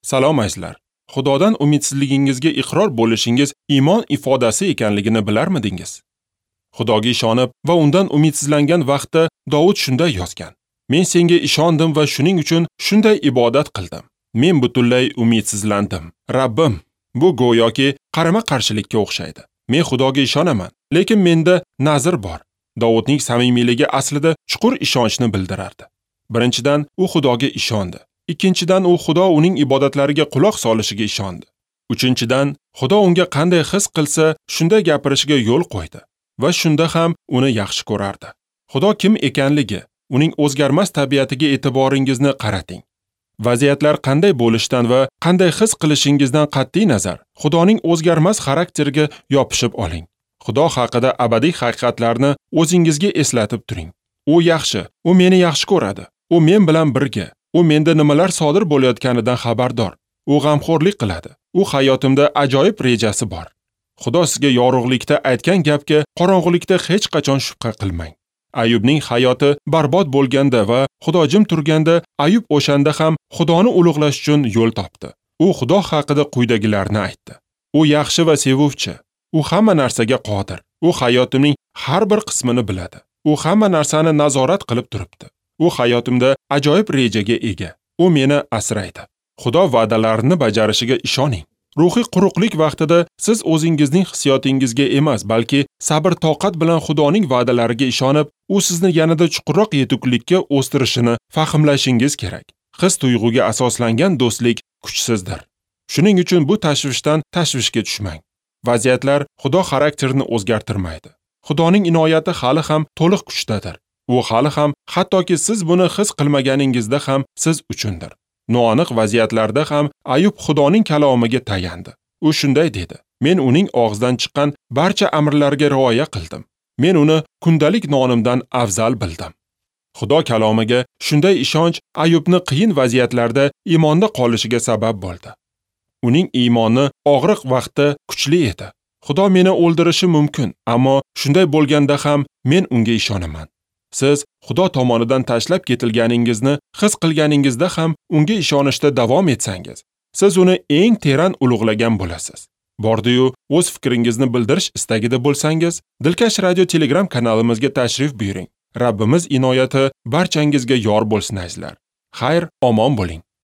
Salom azizlar. Xudodan umidsizligingizga iqror bo'lishingiz iymon ifodasi ekanligini bilarmidingiz? Xudoga ishonib va undan umidsizlangan vaqtda Dovud shunday yozgan: Men senga ishondim va shuning uchun shunday ibodat qildim. Men butunlay umidsizlandim. Rabbim, bu go'yoki qarama-qarshilikka o'xshaydi. Men Xudoga ishonaman, lekin menda nazr bor. Dovudning samimiyligi aslida chuqur ishonchni bildirardi. Birinchidan, u Xudoga ishondi. Ikkinchidan, u Xudo uning ibodatlariga quloq solishiga ishondi. Uchinchidan, Xudo unga qanday his qilsa, shunday gapirishiga yo'l qo'ydi va shunda ham uni yaxshi ko'rardi. Xudo kim ekanligi, uning o'zgarmas tabiatiga e'tiboringizni qarating. Vaziyatlar qanday bo'lishidan va qanday his qilishingizdan qat'iy nazar, Xudoning o'zgarmas xarakteriga yopishib oling. Xudo haqida abadiy haqiqatlarni o'zingizga eslatib turing. U yaxshi, u meni yaxshi ko'radi. U men bilan birga. U menda nimalar sodir bo'layotganidan xabardor. U g'amxo'rlik qiladi. U hayotimda ajoyib rejasi bor. Xudo sizga yorug'likda aytgan gapga qorong'ulikda hech qachon shubha qilmang. Ayubning hayoti barbod bo'lganda va Xudo jim turganda, Ayub o'shanda ham Xudoni ulug'lash uchun yo'l topdi. U Xudo haqida quyidagilarni aytdi: U yaxshi va sevuvchi. U hamma narsaga qodir. U hayotimning har bir qismini biladi. U hamma narsani nazorat qilib turibdi. U hayotimda ajoyib rejaga ega. U meni asraydi. Xudo va'dalarini bajarishiga ishoning. Ruhiy quruqlik vaqtida siz o'zingizning hissiyotingizga emas, balki sabr-toqat bilan Xudoning va'dalariga ishonib, u sizni yanada chuqurroq yetuklikka o'stirishini fahmlashingiz kerak. His-tuyg'uga asoslangan do'stlik kuchsizdir. Shuning uchun bu tashvishdan tashvishga tushmang. Vaziyatlar Xudo xarakterini o'zgartirmaydi. Xudoning inoyati hali ham to'liq kuchdadir. U hali ham, hattoki siz buni his qilmaganingizda ham siz uchundir. Noaniq vaziyatlarda ham Ayub Xudoning kalomiga tayandi. U shunday dedi: Men uning og'zidan chiqqan barcha amrlarga rioya qildim. Men uni kundalik nonimdan afzal bildim. Xudo kalomiga shunday ishonch Ayubni qiyin vaziyatlarda iymonda qolishiga sabab bo'ldi. Uning iymoni og'riq vaqtda kuchli edi. Xudo meni o'ldirishi mumkin, ammo shunday bo'lganda ham men unga ishonaman. Siz Xudo tomonidan tashlab ketilganingizni his qilganingizda ham unga ishonishda davom etsangiz, siz uni eng teran ulug'lagan bo'lasiz. Bordi-yu, o'z fikringizni bildirish istagida bo'lsangiz, Dilkash Radio Telegram kanalimizga tashrif buyuring. Rabbimiz inoyati barchangizga yor bo'lsin azizlar. Xayr, omon bo'ling.